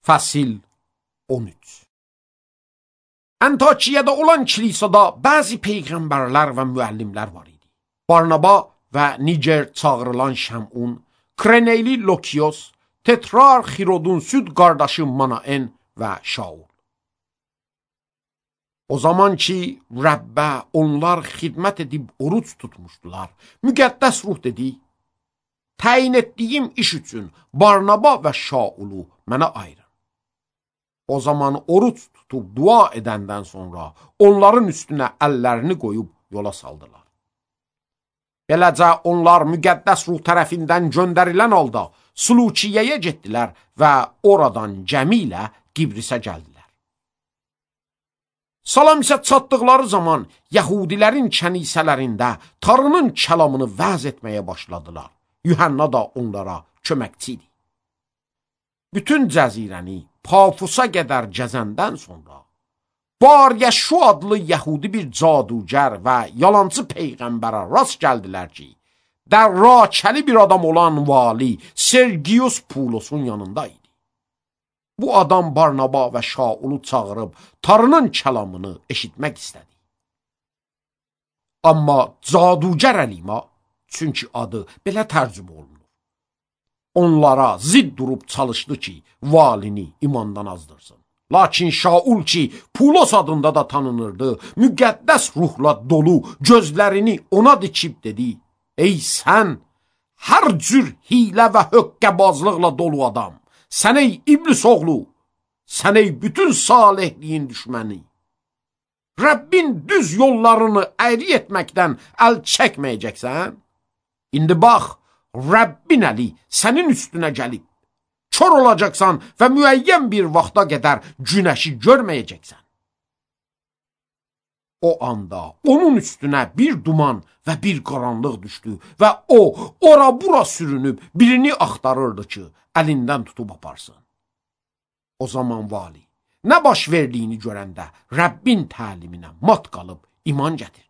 Fəsil 13. Antakiyada olan kilisada bəzi peyğəmbərlər və müəllimlər var idi. Barnaba və Niger çağırılan Şəmun, Kreneyli Lokios, Tetrar Xirodun süd qardaşı Manaen və Şaul. O zaman ki, Rəbbə onlar xidmət edib oruç tutmuşdular, müqəddəs ruh dedi, təyin etdiyim iş üçün Barnaba və Şaulu mənə ayırın. O zaman oruç tutub dua edəndən sonra onların üstünə əllərini qoyub yola saldılar. Beləcə onlar müqəddəs ruh tərəfindən göndərilən halda Sulukiyyəyə getdilər və oradan gəmi ilə Qibrisə gəldilər. Salam isə çatdıqları zaman Yəhudilərin kənisələrində Tanrının kəlamını vəz etməyə başladılar. Yuhanna da onlara köməkçi idi. Bütün cəzirəni Pafusa qədər gəzəndən sonra Bar Yeşu adlı Yəhudi bir cadugər və yalancı peyğəmbərə rast gəldilər ki, dərrakəli bir adam olan vali Sergius Pulosun yanında idi. Bu adam Barnaba və Şaulu çağırıb Tanrının kəlamını eşitmək istədi. Amma cadugər Əlima, çünki adı belə tərcümə olunur, onlara zid durub çalışdı ki, valini imandan azdırsın. Lakin Şaul ki, Pulos adında da tanınırdı, müqəddəs ruhla dolu gözlərini ona dikib dedi, ey sən, hər cür hilə və höqqəbazlıqla dolu adam, sən ey iblis oğlu, sən ey bütün salihliyin düşməni, Rəbbin düz yollarını əyri etməkdən əl çəkməyəcəksən? İndi bax, Rəbbin əli sənin üstünə gəlib, kör olacaqsan və müəyyən bir vaxta qədər günəşi görməyəcəksən. O anda onun üstünə bir duman və bir qaranlıq düşdü və o, ora-bura sürünüb birini axtarırdı ki, əlindən tutub aparsın. O zaman vali, nə baş verdiyini görəndə Rəbbin təliminə mat qalıb iman gətirdi.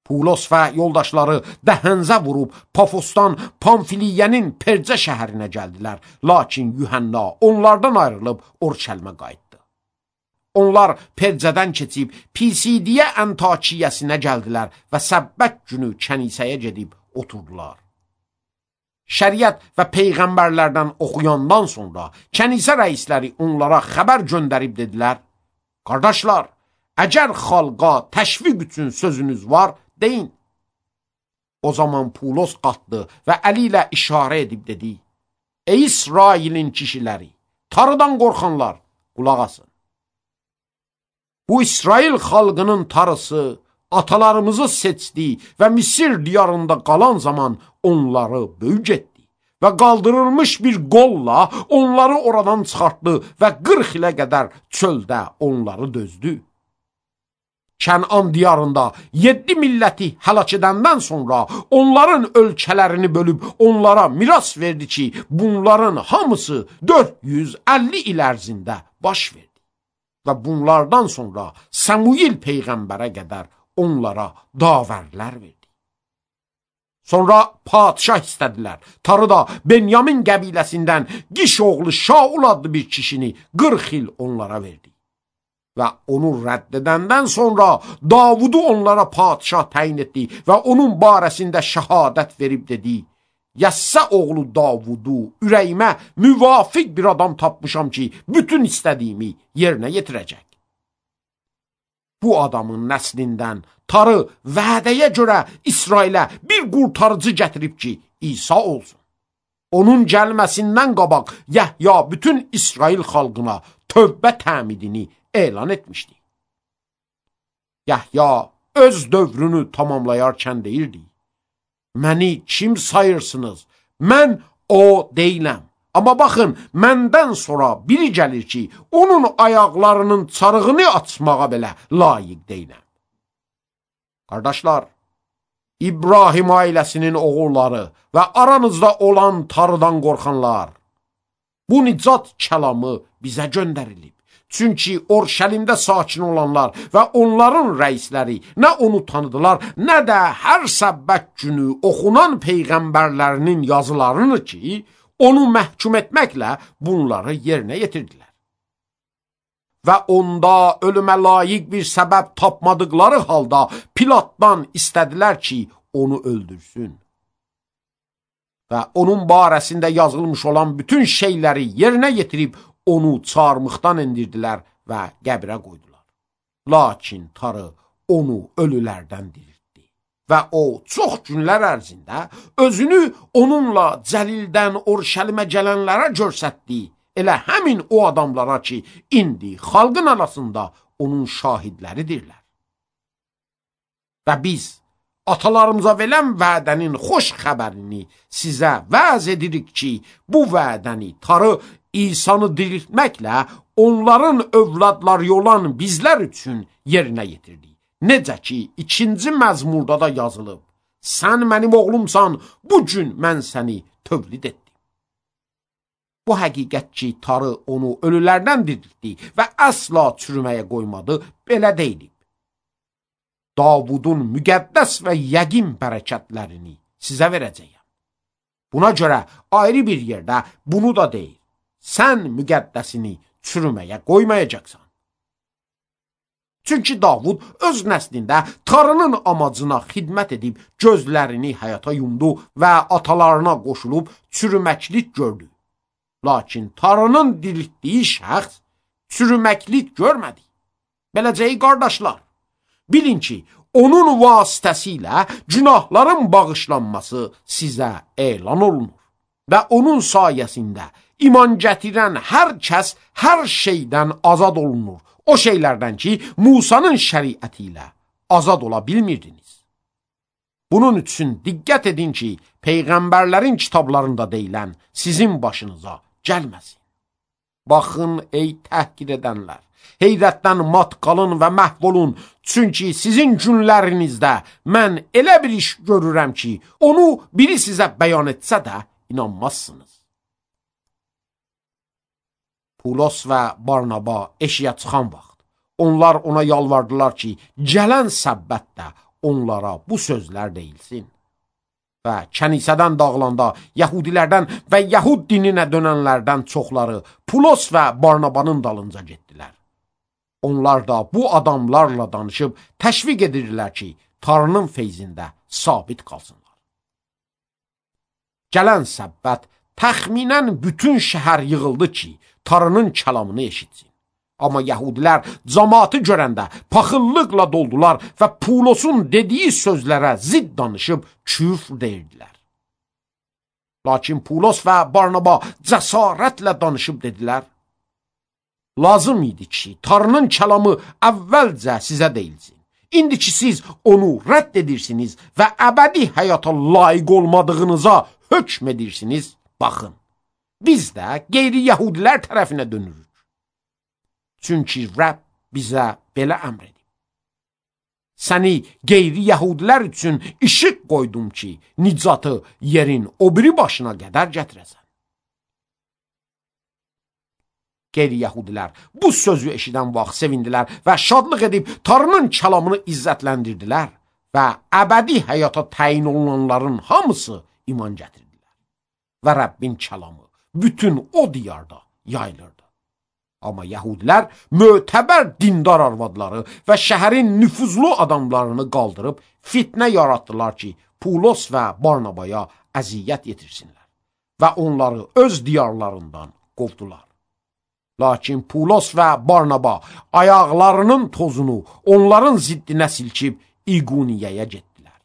Pulos və yoldaşları dəhənzə vurub Pafosdan Pamfiliyənin Percə şəhərinə gəldilər. Lakin Yuhanna onlardan ayrılıb Orçəlmə qayıtdı. Onlar Percədən keçib Pisidiyə Antakiyəsinə gəldilər və səbbət günü kənisəyə gedib oturdular. Şəriət və peyğəmbərlərdən oxuyandan sonra kənisə rəisləri onlara xəbər göndərib dedilər, qardaşlar, əgər xalqa təşviq üçün sözünüz var, deyin. O zaman Pulos qalxdı və əli ilə işarə edib dedi, ey İsrailin kişiləri, Tanrıdan qorxanlar, qulaq asın. Bu İsrail xalqının tarısı atalarımızı seçdi və Misir diyarında qalan zaman onları böyük etdi və qaldırılmış bir qolla onları oradan çıxartdı və 40 ilə qədər çöldə onları dözdü. Kənan diyarında 7 milləti həlak edəndən sonra onların ölkələrini bölüb onlara miras verdi ki, bunların hamısı 450 il ərzində baş verdi. Və bunlardan sonra Samuil peyğəmbərə qədər onlara davərlər verdi. Sonra padişah istədilər. Tanrı da Benyamin qəbiləsindən Qiş oğlu Şaul adlı bir kişini 40 il onlara verdi. Və onu rədd edəndən sonra Davudu onlara padişah təyin etdi və onun barəsində şəhadət verib dedi, Yəssə oğlu Davudu ürəyimə müvafiq bir adam tapmışam ki, bütün istədiyimi yerinə yetirəcək. Bu adamın nəslindən Tanrı vədəyə görə İsrailə bir qurtarıcı gətirib ki, İsa olsun. Onun gəlməsindən qabaq Yəhya bütün İsrail xalqına tövbə təmidini elan etmişdi. Yəhya öz dövrünü tamamlayarkən deyirdi, məni kim sayırsınız? Mən o deyiləm. Amma baxın, məndən sonra biri gəlir ki, onun ayaqlarının çarığını açmağa belə layiq deyiləm. Qardaşlar, İbrahim ailəsinin oğulları və aranızda olan Tanrıdan qorxanlar, bu nicat kəlamı bizə göndərilib. Çünki Orşəlimdə sakin olanlar və onların rəisləri nə onu tanıdılar, nə də hər səbbət günü oxunan peyğəmbərlərinin yazılarını ki, onu məhkum etməklə bunları yerinə yetirdilər. Və onda ölümə layiq bir səbəb tapmadıqları halda Pilatdan istədilər ki, onu öldürsün. Və onun barəsində yazılmış olan bütün şeyləri yerinə yetirib onu çarmıxdan endirdilər və qəbrə qoydular. Lakin Tanrı onu ölülərdən diriltdi və o çox günlər ərzində özünü onunla Cəlildən Orşəlimə gələnlərə göstərdi. Elə həmin o adamlara ki, indi xalqın arasında onun şahidləridirlər. Və biz atalarımıza verilən vədənin xoş xəbərini sizə vəz edirik ki, bu vədəni Tanrı İsa'nı diriltməklə onların övladları olan bizlər üçün yerinə yetirdi. Necə ki, 2-ci məzmurda da yazılıb, sən mənim oğlumsan, bu gün mən səni tövlid etdim. Bu həqiqət ki, Tanrı onu ölülərdən diriltdi və əsla çürüməyə qoymadı, belə deyilib. Davudun müqəddəs və yəqin bərəkətlərini sizə verəcəyəm. Buna görə ayrı bir yerdə bunu da deyir. Sən müqəddəsini çürüməyə qoymayacaqsan. Çünki Davud öz nəslində Tanrının amacına xidmət edib gözlərini həyata yumdu və atalarına qoşulub çürüməklik gördü. Lakin Tanrının diriltdiyi şəxs çürüməklik görmədi. Beləcəyi qardaşlar, bilin ki, onun vasitəsilə günahların bağışlanması sizə elan olunur və onun sayəsində iman gətirən hər kəs hər şeydən azad olunur. O şeylərdən ki, Musanın şəriəti ilə azad ola bilmirdiniz. Bunun üçün diqqət edin ki, peyğəmbərlərin kitablarında deyilən sizin başınıza gəlməsin. Baxın, ey təhqir edənlər, heyrətdən mat qalın və məhv olun, çünki sizin günlərinizdə mən elə bir iş görürəm ki, onu biri sizə bəyan etsə də inanmazsınız. Pulos və Barnaba eşiyə çıxan vaxt, onlar ona yalvardılar ki, gələn səbbətdə onlara bu sözlər deyilsin. Və kənisədən dağılanda Yahudilərdən və Yahud dininə dönənlərdən çoxları Pulos və Barnabanın dalınca getdilər. Onlar da bu adamlarla danışıb təşviq edirdilər ki, Tanrının feyzində sabit qalsınlar. Gələn səbbət təxminən bütün şəhər yığıldı ki, Tanrının kəlamını eşitsin. Amma Yahudilər cəmaatı görəndə paxıllıqla doldular və Pulosun dediyi sözlərə zidd danışıb küfr deyirdilər. Lakin Pulos və Barnaba cəsarətlə danışıb dedilər, lazım idi ki, Tanrının kəlamı əvvəlcə sizə deyilsin. İndi ki, siz onu rədd edirsiniz və əbədi həyata layiq olmadığınıza hökm edirsiniz, baxın. Biz də qeyri-yəhudilər tərəfinə dönürük. Çünki Rəbb bizə belə əmr edib. Səni qeyri-yəhudilər üçün işıq qoydum ki, nicatı yerin o biri başına qədər gətirəsən. Qeyri-yəhudilər bu sözü eşidən vaxt sevindilər və şadlıq edib Tanrının kəlamını izzətləndirdilər və əbədi həyata təyin olunanların hamısı iman gətirdilər. Və Rəbbin kəlamı bütün o diyarda yayılırdı. Amma Yahudilər mötəbər dindar arvadları və şəhərin nüfuzlu adamlarını qaldırıb fitnə yaratdılar ki, Pulos və Barnabaya əziyyət yetirsinlər və onları öz diyarlarından qovdular. Lakin Pulos və Barnaba ayaqlarının tozunu onların ziddinə silkib İquniyəyə getdilər.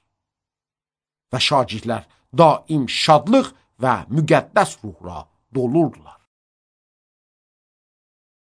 Və şagirdlər daim şadlıq və müqəddəs ruhla dolurdular.